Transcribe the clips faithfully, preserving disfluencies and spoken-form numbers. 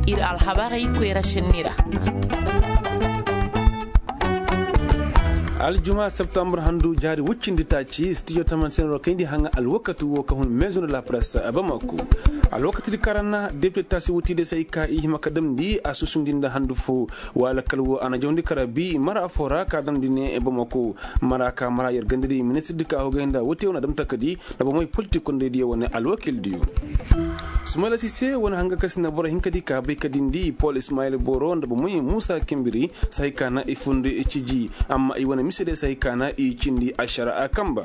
Ir alhabarey koyra šenni ra. Aljuma septambur handu jaari woy cindi taaci studio taman senero kayndi haŋa alwakati wo ka hun maison de la presse a bamako. Alwakati di karan na depite taasi wutidi se hay ka i hima ka damndi a susundi nda handu fo. Wala kala wo a na jawndi kara bi mara fo ra ka damndi ne bamako. Mara ka mara yer gandadi ministir di ka hogay nda wote wo na dam takadi nda bomey politik kondey diyo wane alwakil diyo. Sumayla sise wane hanga ka si na boro hinka di ka bay ka dindi pol ismayil boro nda bomey musa kimbiri. Sahay ka na i fundi ciji amma i wane mise de sahay ka na i cindi ašara a kamba.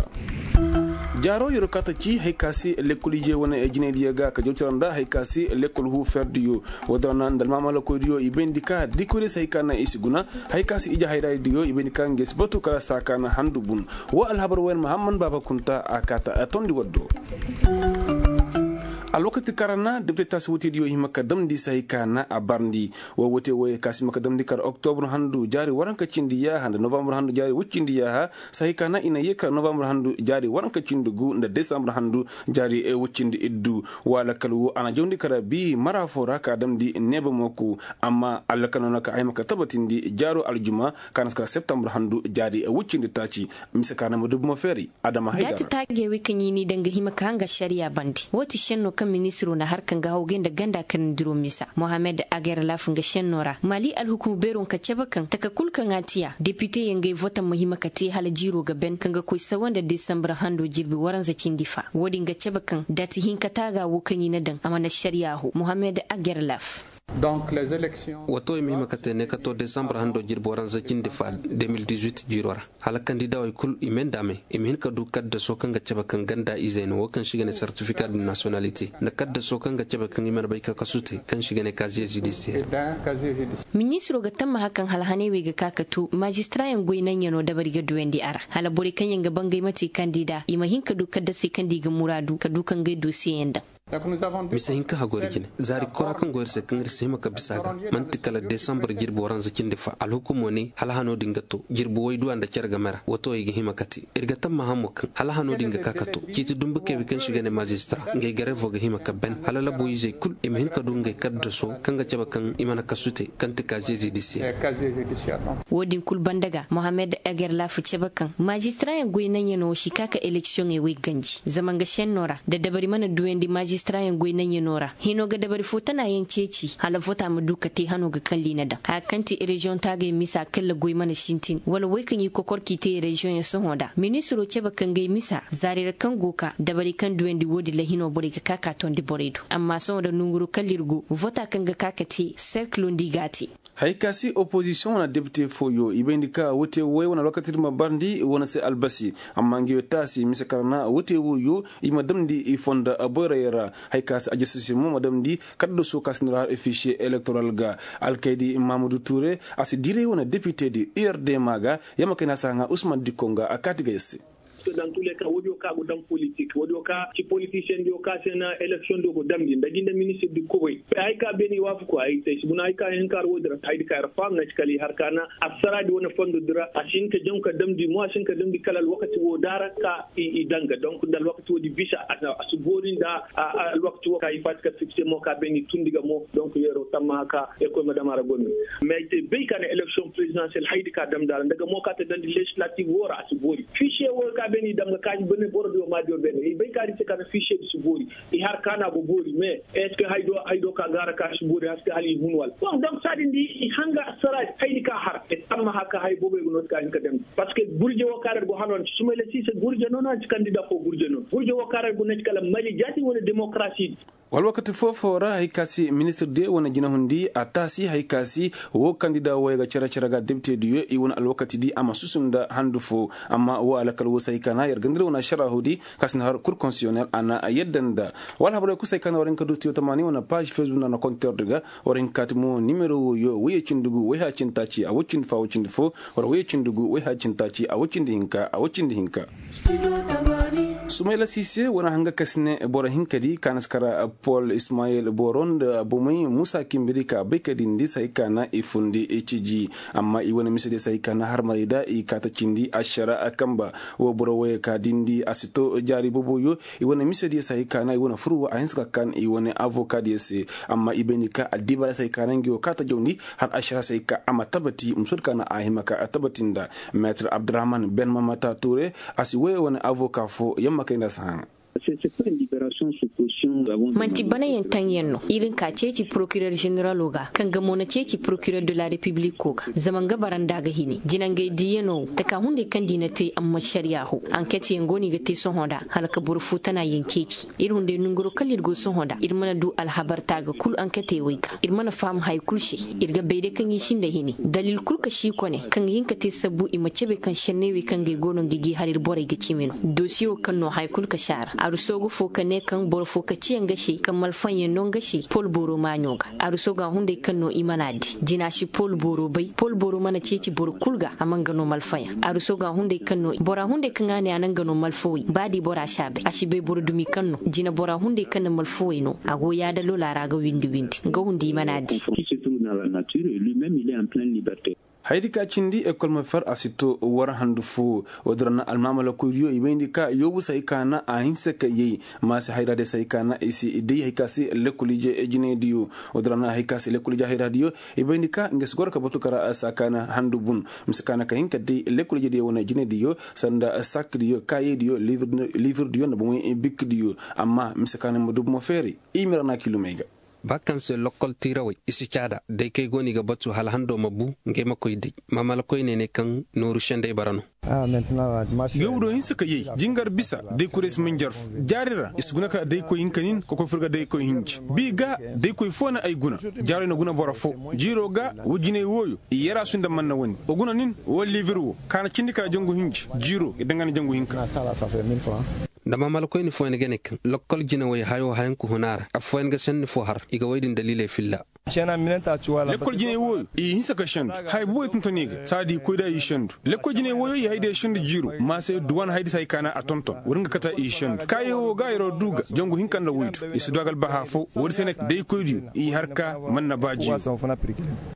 Jaaro yero ka ta ci hay ka se lekkol ije wane jinaydiyo ga ka jawtira nda hay ka se lekkol hu ferdiyo. Wodora na nda almaamalakoydiyo i bayndi ka dikoydiyo se hay ka na i si guna. Hay ka se ije hayraadiyo i bayndi ka nge si batu kala saa ka na handu bun. Wo alhabar woyen mahamman baaba kunta a kaata a tondi waddo. Alwakati kaŋ ra na depite taasi wutediyo hima ka damndi se hay ka na a barndi. Wo wote woyey ka si hima ka damndi kar oktobur handu jaari waranka cindi yaaha nda novambur handu jaari woy cindi yaaha. Se hay ka na i na yee kar novambur handu jaari waranka cindi gu nda desambur handu jaari woy cindi iddu. Wala kala wo a na jawndi kar bi mara fo ra ka damndi neeba mooku. Amma allakal no na ka a hima ka tabatindi jaaro aljuma ka na si kar septambur handu jaari woy cindi taaci. Mise ka na ma dubu ma feeri. Adama haydara. Taagey wey kaŋ i n'i daŋ ga hima ka haŋ ga ašariya bande wo ti šenno kaŋ ministiro na har kaŋ ga hawgay nda ganda kanandiro misa mohammed agerlaf nga šenno ra mali alhukumu beero nga cabe kaŋ taka kul kaŋ a tiya depiteyaŋ gay votaŋ ma hima ka te hala jiiro ga ben kaŋ ga koy sawa nda desambur hando jirbi waranza cindi fa wo-din ga cabe kaŋ dati hinka taaga wo kaŋ i na daŋ a mana ašariya ho mohammed agerlaf. Wato i ma hima ka te ne ka to desambur hando jirbi waranza cindi fa de mil dix-huit jiiro ra. Hala kandidawey kul i me nda a me i ma hin ka du kaddaso kaŋ ga cabe kaŋ ganda izey no wo kaŋ se i ga ne sertifika de nasiyonalite nda kaddaso kaŋ ga cabe kaŋ i mana bay ka kasu te kaŋ se i ga ne kaziye zidisiyer. Ministiro ga tammaha kaŋ hala haney wey ga ka ka tu mazistirayaŋ goy naŋ yaŋo dabari ga duyandi a ra hala borey kaŋ yaŋ ga bangay ma te kandida i ma hin ka du kaddasey kaŋ nda i ga muraadu ka du ka ngey dosiyeyaŋ daŋ. Mise hinka hagori jine zaari kora kaŋ go ir se kaŋ ir si hima ka bisa ga man'ti kala desambur jirbi waranza cindi fa alhukumo ne hala hano din ga to jirbi wayduwa nda care game ra wato i ga hima ka te. Ir ga tammaha mo kaŋ hala hano din ga ka ka to ciiti dumbu keebi kaŋ se i ga ne mazistira ngey garevo ga hima ka ben hala labo izey kul i ma hin ka du ngey kaddaso kaŋ ga cabe kaŋ i mana kasu te kaŋ ti kaziye zidisiyer. Wo-din kul banda ga mohammed egerlaf cabe kaŋ mazistirayaŋ goy naŋ yaŋo si ka ka eleksiyoŋey wey ganji zama nga šenno ra da dabari mana duyandi mazistirayaŋ goy naŋ yaŋo ra hino ga dabari fo tana yaŋ ceeci hala vota ma du ka te hano ga kalli na daŋ haya kaŋ ti reziyoŋ taagey misa kalla goy mana sintin wala wey kaŋ i kokor k'i te reziyoŋ yaŋ sohõ nda ministiro cabe kaŋ ga ay misa zaari ra kaŋ go ka dabari kaŋ duyandi wo-din ra hino borey ga ka ka tondi borey do amma sohõ nda nonguru kalla ir go vota kaŋ ga ka ka te serkilo nda i g'a te. Hay ka se opozisiyoŋ wane depite fooyo i bayndi ka wote woy wane alwakati di ma barndi wane se albasi amma nga yo taasi mise kar na wote woyo i ma damndi i fonda boyrayaŋ ra. Hay ka se ajasisi mo ma damndi kaddaso ka si nda har ofisiye elektoral ga alkaydi mamudu ture a si diray wane depite di urdma ga. Yamma kay na si haŋa usman dikko nga a kaati ga yar se. Dantuule ka woodiyo ka go daŋ politik woodiyo ka ci politisiyen diyo ka se na eleksiyoŋ diyo go damndi nda jinde ministir di kubay. Hay ka beene i waafaku ay te ay si guna hay ka hin ka har woodi ra haydi ka ir faam na ci kala i har ka na assaraadi wane fondo di ra a si hin ka jaŋ ka damndi mo a si hin ka damndi kala alwakati woo daara ka i daŋ ga donk nda alwakati woodi bisa a si boori nda alwakati woo ka i faati ka fikse mo ka beene i tundi ga mo donk yeero tammaha ka ekoy ma dam a ra goy me. Mais ay te bay ka na eleksiyoŋ prezidansiyel haydi ka damndi a ra nda ga mo ka te damndi lezislatif woo ra a si boori fisiye woo ka beene i dam ga ka i bane boro diyo ma diyo beene i bay ka di se ka na fisiye di si boori. I har kaana go boori mais est ce que hay do ka gaara ka si boori haske hala i hun wala bon donc saadin di i hanga saraadi haydi ka har e tammaha ka hay boobey go no ti ka hin ka damndi parce que gurje woo ka ra ir go hano na ci sumayla siise gurje no no a ci kandida foo gurje no gurje woo ka ra ir go no ti kala mali jaati wala demokarasi di. Alwakati foo-foo ra hay ka se ministir diyo wane jinahundi a taasi hay ka se woo kandida wooyo ga cere-cere ga depite diyo i wane alwakati di a ma susu nda handu foo. Amma woo alakal woo se hay ka na yer ganda ir wane ašaraahu di ka si na har kur konsiyonel a na yadda nda wala habarey kusa hay ka na war hin ka du studio tamaani wane paaž fesbuk nda a na konter di ga war hin ka kaati mo nimero wooyo woyye cindi gu woy haya cindi taaci a woy cindi foo a woy cindi foo. War woyye cindi gu woy haya cindi taaci a woy cindi hinka a woy cindi hinka. Sumayla sise wane hanga ka si ne boro hinka di ka na si kara pol ismayel boro nda bomey musa kimbiri ka bay ka dindi se hay ka na i fundi ciji. Amma i wane mise diyo se hay ka na harmaray da i kaata cindi ašara kamba. Wo boro woyey ka dindi a si to jaari boboyo. I wane mise diyo se hay ka na i wane fur wo a hinsa ka kan i wane avoka diyo se. Amma i bayndi ka addibaara se hay ka na ngi wo kaata jawndi har ašara se hay ka a ma tabati musoodi ka na a hima ka tabati nda. Meetir abdurahman ben mamata ture a si woyey wane avoka fo yamma kay nda a si haŋa. Manti banayaŋ taŋyaŋ no iri nka ceeci porokirer ženeralo ga kaŋ ga mo na ceeci porokirer de la repibliko ga zama nga bara nda a ga hini jinangay diiyano wo taka hunday kaŋ di na te amma šariya ho. Anket yaŋ go no i ga te sohõ nda hala ka boro fo tana yaŋ ceeci. Iri hunday nanguro kala iri go sohõ nda iri mana du alhabar taaga kul anketey wey ga iri mana faham haya kul se. Iri ga bay day kaŋ i sinda hini dalil kul ka si kone kaŋ ga hin ka te sabbu i ma cebe kaŋ senney wey kaŋ ga ay go no nga i g'i har iri borey ga cimi no. Dosiye wo kaŋ no haya kul ka si a ra aruso ga fo ka ne kaŋ boro fo ka ciya nga se kaŋ malfaŋ yaŋ no nga se pol boro maaɲo ga. Aruso ga hunday kaŋ no i mana di jina si pol boro bay pol boro mana ceeci boro kul ga a ma nga no malfaŋ yaŋ aruso ga hunday kaŋ no bora hunday kaŋ a ne a na nga no malfawey ba di bora si a bay a si bay boro dumi kaŋ no jina bora hunday kaŋ na malfawey no a go yaada lola ra ga windi windi nga hundi i mana di. Hayadi ka cindi ekol ma fer a si to war handu fo. Wo-din ra na almaamalakoydiyo i bayndi ka yoobu se hay ka na a hinse ka yay. Ma se hayra day se hay ka na i si day hay ka se lekkol ije jinaydiyo. Wo-din ra na hay ka se lekkol ije hayradiyo i bayndi ka nga si goro ka batu kara saakaani handu bun. Mise ka na ka hin ka day lekkol ijediyo wane jinaydiyo sanda sakdiyo kaayeydiyo liifirdiyo nda bomoy bikdiyo. Amma mise ka na ma du bomo feeray. I ma ra na kiilumey ga. Ba kaŋ se lokkol tiirawey i si caada day kay go no i ga batu hala hando ma bu. Ngey ma koy day maamalakoyney ne kaŋ nooru sendey bara no. Yoobu do hinsa ka yay jingar bisa daykoydiyo si man jarfu. Jaari ra i si guna ka daykoy hinka nin ka koy fur ga daykoy hinji. Bi ga daykoy fo na ay guna. Jaaro na guna boro fo. Jiiro ga wa jinay wooyo i yarasu nda manna wane wa guna nin wa liibir wo ka na cindi kala jangu hinji. Jiiro i danga na jangu hinka. Nda maamalakoyni fooyaŋ ga ne kaŋ lokkol jinawey hayo hayanku huna ra affooyaŋ ga senni fo har i ga woy din daliiley filla. Lekkol jinay wooyo i hinsa ka sendu. Haya booboy tonton i ga saadi i koy da i sendu. Lekkol jinay wooyo i hay da i sendu jiiro ma se duwan haydi se hay ka na a tonton woodin ga kate i sendu kaayey wo ga yeroo du ga jangu hinka nda woydu. I si du a ga albaha fo woodi se ne day koydiyo i har ka man na ba jiiro.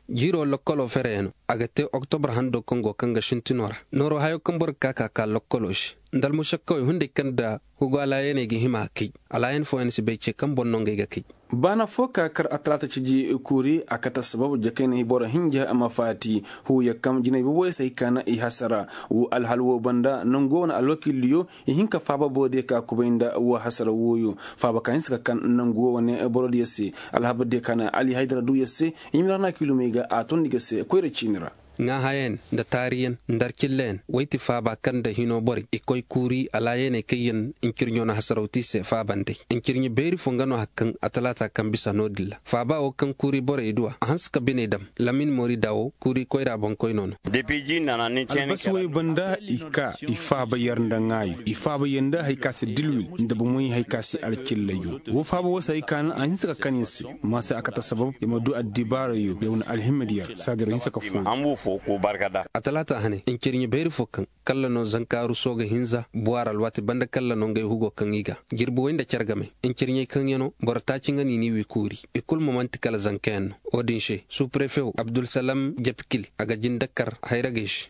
Jiiro lokkolo fereyaŋ no a ga te oktobra hando kaŋ go kaŋ ga sintinoo ra nooroo hayoo kaŋ boro ga ka ka ka lokkolo se. Nda almušakkawey hunday kaŋ nda hugu alaayaney ga hima a kay. Alaayan fooyaŋ si bay ce kaŋ boŋ no ngey ga kay. Baana fo ka kar atalaata ciji kuuri a kate assabab jakayna boro hinja ma faati. Huuya kaŋ jinay boboyey se hay ka na i hasara. Woo alhal woo banda nangu woo wane alwakiildiyo i hin ka faaba borodiyo ka kubay nda woo hasara wooyo. Faaba ka hinsa ka kaŋ nangu woo wane borodiyo se. Alhabardiyo ka na ali haydara duu yer se. Ɲimira na kiilumey ga a tondi ga se koyra ciini ra. Ŋaahayaŋ nda taariyaŋ nda arcillayaŋ wey ti faaba kaŋ nda hinoo borey i koy kuuri alaayaney kaŋ yaŋ ncirɲo na hasaraw te i se faaba nd'ey. Ncirɲe beeri fo nga no hari kaŋ atalaata kaŋ bisa no-din ra faaba woo kaŋ kuuri borey du a a hanse ka biney dam. Lamin moori daawo kuuri koyra boŋkoynoo no. Albasi wey banda i kaa i faaba yer nda ŋaayo i faaba yer nda hari ka se dilwil nda bomoy hari ka se alcillay woo faaba woo se hari ka na a hinse ka kan yer se. Ma se a kate sabab yer ma du addibaarayo yer wane alhimma di yer saadiro hinse ka foo. Atalaata hane ncirɲe beeri fo kaŋ kalla no zankaaru sooga hinza buwaar alwaati banda kalla no ngey hugo kaŋ i ga jirbi wey nda cargamey. Ncirɲey kaŋ ya no boro taaci nga no i n'i wii kuuri. I kul mo man'ti kala zankayaŋ no. Wo-din se suuprefe woo abdulsalam jepikil a ga jinde kar hayragey se.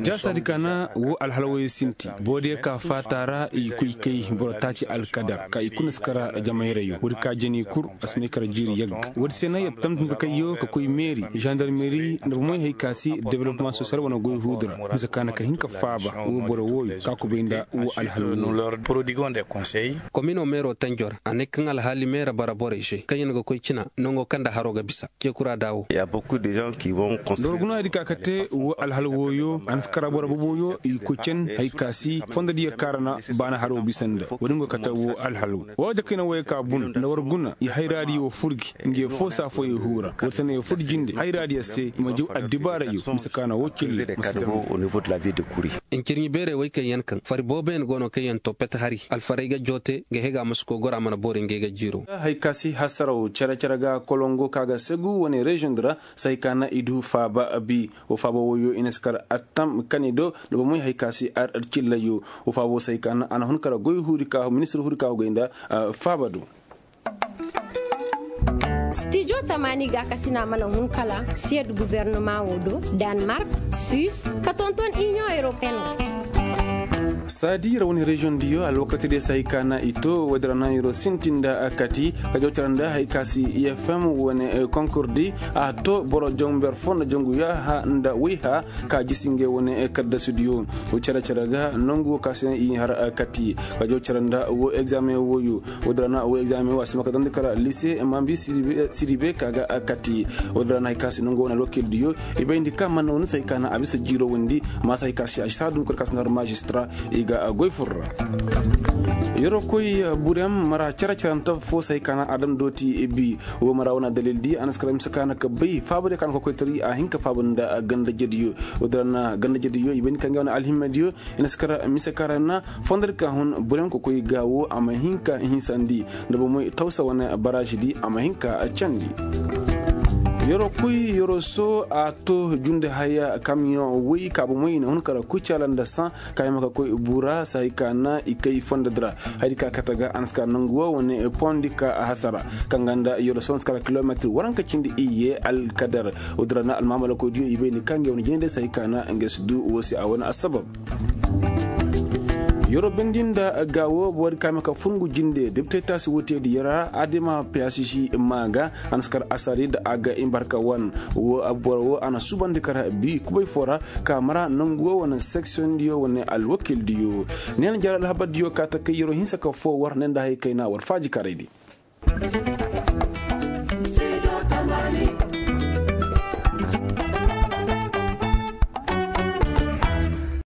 Jaasa di ka na woo alhal wooyey sinti boodiyo ka faata ra i koy kay boro taaci alkadar ka i kuna si kara jamayrayo woodi ka jani kul a si may kara jiiri yagga. Woodi se na yer tamtam ka kayyo ka koy meeri zandarmeri nda bomey hay ka se developmaŋ sosiyal wane goy huudu ra mise ka na ka hin ka faaba woo boro wooyo ka kubay nda woo alhal wooyo. Kominoo meeroo tanjo ra a ne kaŋ alhaali meera bara borey se kaŋ yaŋ ga koy cina nangoo kaŋ nda haroo ga bisa. Ceekuraa daawo. Nda war guna hay di ka ka te woo alhal wooyo a na si kara boro boboyo i koy cen hay ka se fondo diyo kaŋ ra na baana haroo bisa nda woodin go kate woo alhal woo wala jakayna wooyo ka bun nda war guna i hayraadiyo fur gi nge foo se afooyey huura war se no yer fur jinde hayraadiyo. Se i ma jaw addibaarayyo mise ka na woo cille ma si dam. Ncirɲi beerey wey kaŋ yaŋ kaŋ fari booboyaŋ go no kaŋ yaŋ to pet hari alfarey ga joote ga hega ma si koy gora mana boori ngey ga jiiro. Hay ka si hasaraw cere-cere ga kolongo ka ga segu wane reziyoŋ di ra. Sahi ka na i du faaba bi wo faaba woyo i na si kar attam kani do da bomey hay ka si ar cillayo. Wo faaba wo sahi ka na a na hun kara goy huuri ka ministir huuri ka go gay nda faaba do. Stijo tamaani gaakasina mana hun kala siyed guwernama wo do, danmark, suis, ka tonton iniyoŋ europeen wo. Saadi ra wane reziyoŋ diyo alwakati de sahi ka na i to woodin ra na yoro sintin nda kati ka jaw cere nda hay ka si ifm wane konkur di a to boro jongu ber fo nda jongu yaaha nda wayha ka jisi ngey wane kaddasu diyo. Wo cere cere ga nangu wo ka se i har kati ka jaw cere nda wo egzaameŋ woyo. Woodin ra na wo egzaameŋ wo a si ma ka dandi kala lise mambi siribe ka ga kati. Woodin ra na hay ka si nangu wane alwakil diyo i bayndi ka mana wane sahi ka na a bisa jiiro windi. Ma sahi ka si a si saadu kala ka si na har maazistara i ga goy fur ra. Yoro koy burem mara cere cere nta fo sahi ka na a dam dooti bi. Wo mara wane dalil di a na si kala mise ka na ka bay faaba diyo ka na kokoytari a hin ka faaba nda ganda jediyo. Woodin ra na ganda jediyo i bayndi ka ngey wane alhimmediyo i na si kara mise ka ra na fondar ka hun burem kokoy ga wo a ma hin ka hinsandi nda bomey tawsa wane baraasi di a ma hin ka candi. Yoro koy yoro so a to junde haya kamiyoŋ woy ka bomey i na hun kara kucaala nda saŋ ka hima ka koy bura sahi ka na i kay fondadi ra. Hari ka kate ga a na si ka nangu wo wane pondi ka hasara kaŋ ga nda yoro so na si kara kilometir waranka cindi iyye alkadar. Woodin ra na almaamalakoydiyo i bay ni ka ngey wane jine day sahi ka na ngey si du wo se a wane assabab. Yoro bindi nda ga wo boro di ka hima ka fur ngu jinde depite taasi wooteedi yara adema piyasisi maa ga a na si kar asari da a ga imbarka wan. Wo boro wo a na suubandi kar bi kubay fo ra ka mara nangu wo wane seksiyondiyo wane alwakildiyo. Ne na jaari alhabardiyo ka ta kay yoro hinsa ka fo war ne nda hay kayna war faajikaraydi.